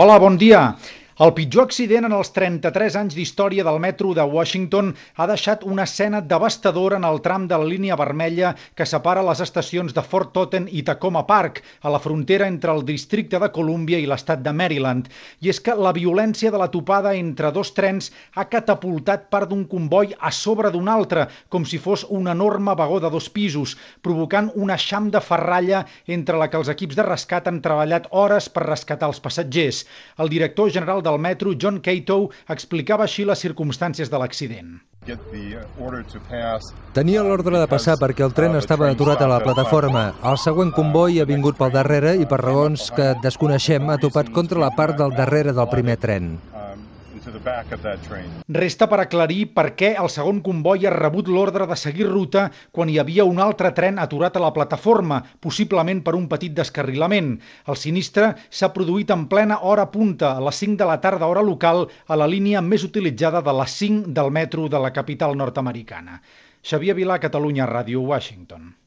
Hola, bon dia. El pitjor accident en els 33 anys d'història del metro de Washington ha deixat una escena devastadora en el tram de la línia vermella que separa les estacions de Fort Totten i Tacoma Park, a la frontera entre el districte de Columbia i l'estat de Maryland. I és que la violència de la topada entre dos trens ha catapultat part d'un comboi a sobre d'un altre, com si fos un enorme vagó de 2 pisos, provocant un eixam de ferralla entre la que els equips de rescat han treballat hores per rescatar els passatgers. El director general del metro, John Cato, explicava així les circumstàncies de l'accident. Tenia l'ordre de passar perquè el tren estava aturat a la plataforma. El següent comboi ha vingut pel darrere i per raons que desconeixem ha topat contra la part del darrere del primer tren. Resta per aclarir per què el segon comboi ha rebut l'ordre de seguir ruta quan hi havia un altre tren aturat a la plataforma, possiblement per un petit descarrilament. El sinistre s'ha produït en plena hora punta, a les 5 de la tarda hora local, a la línia més utilitzada de les 5 del metro de la capital nord-americana. Xavier Vilà, Catalunya Ràdio, Washington.